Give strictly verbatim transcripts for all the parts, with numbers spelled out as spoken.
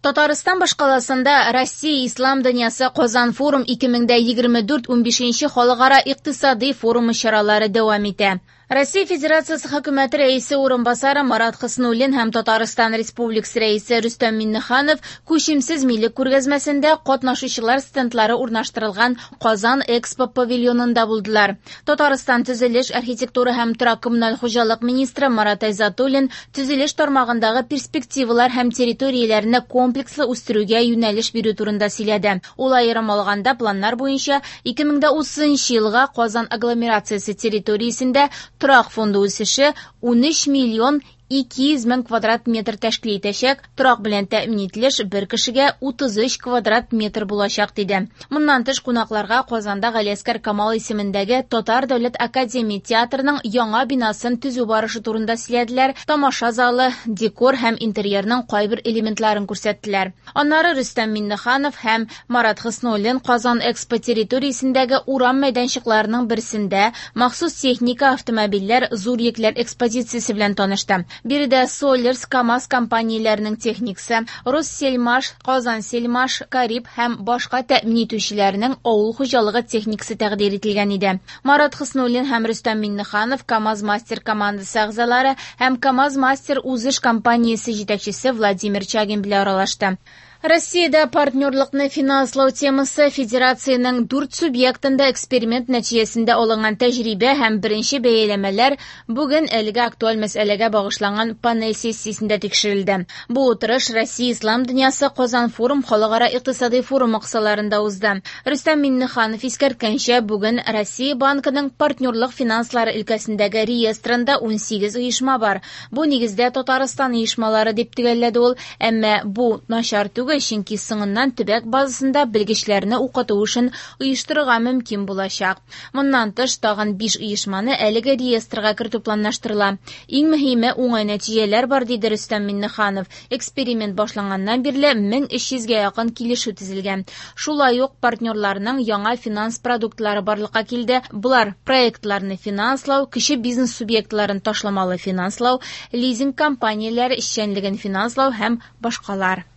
Татарстан башкаласында Россия Ислам дөньясы Казан форум ике мең дә егерме дүрт унбишенче халыкара икътисади форумы чаралары дәвам итә. Россия Федерациясе хөкүмәте рәисе урынбасары Марат Хөснуллин һәм Татарстан Республикасы рәисе Рөстәм Миңнеханов күчемсез милек күргәзмәсендә катнашучылар стендлары урнаштырылган Казан Экспо павильонында булдылар. Татарстан төзелеш, архитектура һәм торак коммуналь хуҗалык министры Марат Айзатуллин төзелеш тармагындагы перспективалар һәм территорияләрне комплекслы үстерүгә юнәлеш бирү турында сөйләде. Ул аерым алганда планнар буенча ике мең дә утызынчы елга Казан агломерациясе территориясендә торак фонды үсеше унөч миллион ике йөз мең квадрат метр тәшкил итәчәк, торак белән тәэмин ителеш бер кешегә утыз өч квадрат метр булачак, диде. Моннан тыш кунакларга Казанда Галиәсгар Камал исемендәге Татар дәүләт академия театрының яңа бинасын төзү барышы турында сөйләделәр, тамаша залы, декор һәм интерьерның кайбер элементларын күрсәттеләр. Аннары Рөстәм Миңнеханов һәм Марат Хөснуллин Казан Экспо территориясендәге урам мәйданчыкларының берсендә махсус техника, автомобильләр, зур йөкләр экспозициясе белән танышты. Биредә Соллерс, КАМАЗ компанияләренең техникасы, Россельмаш, Казансельмаш, Кариб һәм башка тәэмин итүчеләрнең авыл хуҗалыгы техникасы тәкъдир ителгән иде. Марат Хөснуллин һәм Рөстәм Миңнеханов КАМАЗ Мастер командасы әгъзалары һәм КАМАЗ Мастер узыш компаниясе җитәкчесе Владимир Чагин белән аралашты. Россиядә партнерлыкны финанслау темасы федерациянең дүрт субъектында эксперимент нәтиҗәсендә алынган тәҗрибә һәм беренче бәяләмәләр бүген әлеге актуаль мәсьәләгә багышланган панель сессиясендә тикшерелде. Бу утырыш Россия Ислам дөньясы Казан форум халыкара икътисади форумы кысаларында узды. Рөстәм Миңнеханов искәрткәнчә, бүген Россия банкының партнерлык финанслары өлкәсендәге реестрында унсигез оешма бар. Бу нигездә Татарстан оешмалары дип төгәлләде ул, әмма бу начар түгел, чөнки соңыннан төбәк базасында белгечләрне укыту өчен оештырырга мөмкин булачак. Моннан тыш тагын биш оешманы әлеге реестрга кертү планлаштырыла. Иң мөһиме уңай нәтиҗәләр бар, диде Рөстәм Миңнеханов. Эксперимент башланганнан бирле мең өч йөзгә якын килешү төзелгән. Шулай ук партнерларның яңа финанс продуктлары барлыкка килде. Болар проектларны финанслау, кече бизнес субъектларын ташламалы финанслау, лизинг компанияләре эшчәнлеген финанслау һәм башкалар.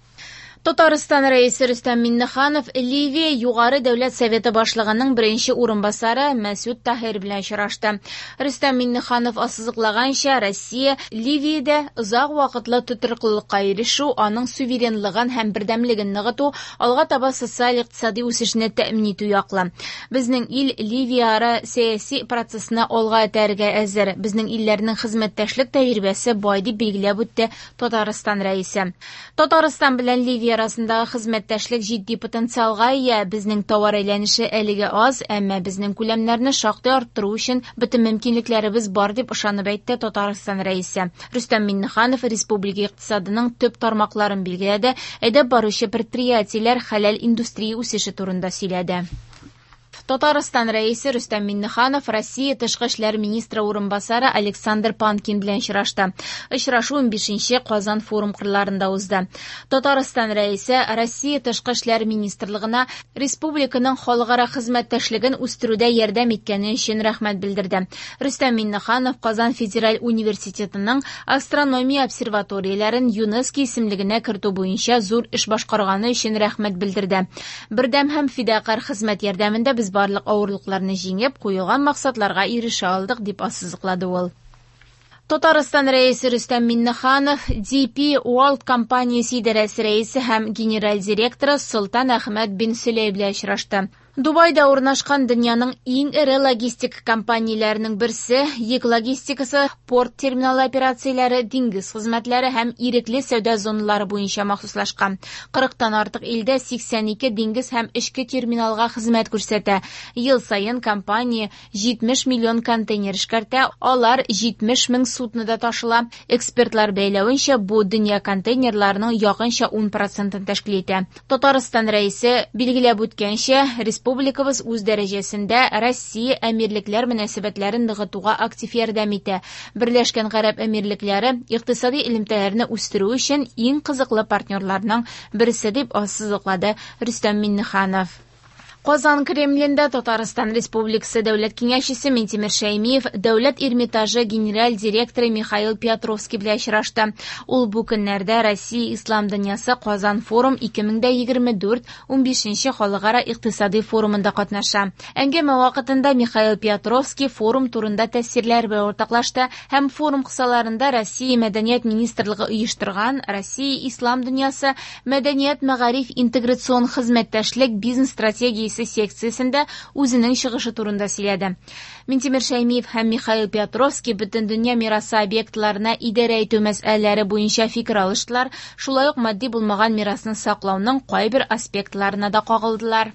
Татарстан рәисе Рөстәм Миңнеханов Ливия Югары дәүләт советы башлыгының беренче урынбасары Мәсүд Таһир белән очрашты. Рөстәм Миңнеханов ассызыклаганча, Россия Ливиядә озак вакытлы тотрыклылыкка ирешү, аның суверенлыгын һәм бердәмлеген ныгыту, алга таба социаль-икътисади үсешне тәэмин итү яклы. Безнең ил Ливия-ара сәяси процессны алга этәрергә әзер. Безнең илләрнең хезмәттәшлек тәҗрибәсе бай, дип билгеләп үтте Татарстан рәисе. Татарстан белән Ливия арасындагы хезмәттәшлек җитди потенциалга ия. Безнең товар әйләнеше әлегә аз, әмма безнең күләмнәрне шактый арттыру өчен бөтен мөмкинлекләребез бар, дип ышанып әйтте Татарстан рәисе. Рөстәм Миңнеханов республика икътисадының төп тармакларын билгеләде, әйдәп баручы предприятиеләр хәләл индустрия үсеше турында сөйләде. Татарстан рәисе Рөстәм Миңнеханов Россия тышкы эшләр министры урынбасары Александр Панкин белән очрашты. Очрашу унбишенче Казан форум кырларында узды. Татарстан рәисе Россия тышкы эшләр министрлыгына республиканың халыкара хезмәттәшлеген үстерүдә ярдәм иткәне өчен рәхмәт белдерде. Рөстәм Миңнеханов Казан федераль университетының астрономия обсерваторияләрен ЮНЕСКО исемлегенә кертү буенча зур эш башкарганы өчен рәхмәт белдерде. Бердәм һәм фидакарь хезмәт ярдәмендә без барлык авырлыкларны җиңеп, куелган максатларга ирешә алдык, дип ассызыклады ул. Татарстан рәисе Рөстәм Миңнеханов Ди Пи World компаниясе идарәсе рәисе һәм генераль директоры Солтан Әхмәт бин Сөләй белән очрашты. Дубайда урнашкан дөньяның иң эре логистик компанияләренең берсе, йөк логистикасы, порт терминалы операцияләре, диңгез хезмәтләре һәм ирекле сәүдә зоналары буенча махсуслашкан. Кырыктан артык илдә сиксән ике диңгез һәм эчке терминалга хезмәт күрсәтә. Ел саен компания җитмеш миллион контейнер эшкәртә, алар җитмеш мең суднода ташыла. Экспертлар бәйләвенчә, бу дөнья контейнерларының якынча ун процентын тәшкил итә. Татарстан рәисе билгеләп үткәнчә, республикабыз үз дәрәҗәсендә Россия әмирлекләр мөнәсәбәтләрен ныгытуга актив ярдәм итә. Берләшкән Гарәп Әмирлекләре икътисади элемтәләрне үстерү өчен иң кызыклы партнерларның берсе, дип ассызыклады Рөстәм Миңнеханов. Казан Кремлендә Татарстан Республикасы Дәүләт Киңәшчесе Минтимер Шәймиев Дәүләт Эрмитажы генераль директоры Михаил Петровский белән очрашты. Ул бу көннәрдә Россия Ислам дөньясы Казан форум ике мең дә егерме дүрт унбишенче халыкара икътисади форумында катнаша. Әңгәмә вакытында Михаил Петровский форум турында тәэсирләр белән уртаклашты һәм форум кысаларында Россия Мәдәният министрлыгы оештырган Россия Ислам дөньясы Мәдәният мәгариф интеграцион хезмәттәшлек бизнес стратегиясе секциясендә үзенең чыгышы турында сөйләде. Минтимер Шәймиев һәм Михаил Петровский бөтен дөнья мирасы объектларына идарә итү мәсьәләләре буенча фикер алыштылар, шулай ук матди булмаган мирасны саклауның кайбер аспектларына да кагылдылар.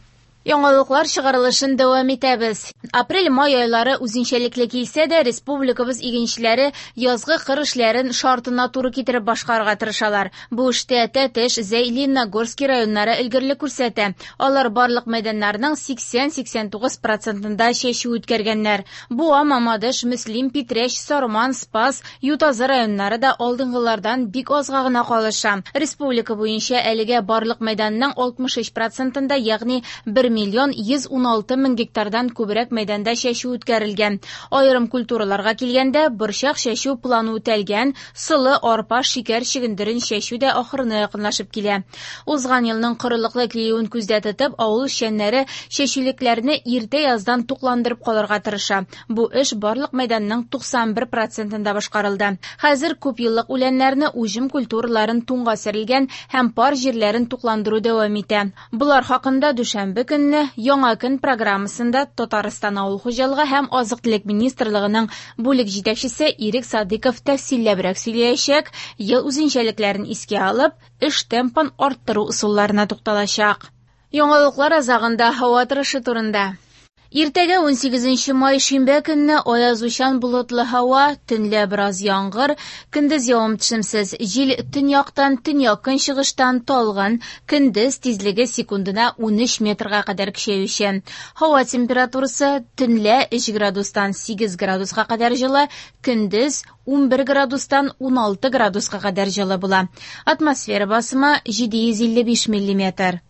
Яңалыклар чыгарылышын дәвам итәбез. Апрель-май айлары үзенчәлекле килсә дә, республикабыз игенчеләре язгы кыр эшләрен шартына туры китереп башкарырга тырышалар. Бу эштә Тәтеш, Зәй, Лениногорский районнары өлгерлек күрсәтә. Алар барлык мәйданнарның сиксән-сиксән тугыз процентында чәчү үткәргәннәр. Буа, Мамадыш, Мөслим, Питрәч, Сарман, Спас, Ютазы районнары да алдынгылардан бик азга гына калыша. Республика буенча әлегә барлык мәйданның алтмыш өч процентында, ягъни бер миллион йөз ун алты мең гектардан күбрәк мәйданда чәчү үткәрелгән. Аерым культураларга килгәндә, борчак чәчү планы үтәлгән, солы, арпа, шикәр чөгендерен чәчү дә ахырына якынлашып килә. Узган елның корылыклы килүен күздә тотып, авыл эшчәннәре чәчүлекләрне иртә яздан тукландырып калырга тырыша. Бу эш барлык мәйданның туксан бер процентында башкарылды. Хәзер күп еллык үләннәрне, уҗым культураларын туңга сәрелгән һәм пар җирләрен тукландыру дәвам итә. Болар хакында дүшәмбе көнне Яңа көн программасында Татарстан Авыл хуҗалыгы һәм азык-төлек министрлыгының бүлек җитәкчесе Ирек Садыйков тәфсилләбрәк сөйләячәк, ел үзенчәлекләрен искә алып, эш темпын арттыру ысулларына тукталачак. Яңалыклар азагында һава торышы турында. Иртәгә унсигезенче май шимбә көнне аязучан болытлы һава, төнлә бераз яңгыр, көндез явым-төшемсез, җил төньяктан, төньяк-көнчыгыштан талгын, көндез тизлеге секундына унөч метрга кадәр көчәюче. Һава температурасы төнлә өч градустан сигез градуска кадәр җылы, көндез унбер градустан уналты градуска кадәр җылы була. Атмосфера басымы җиде йөз илле биш миллиметр.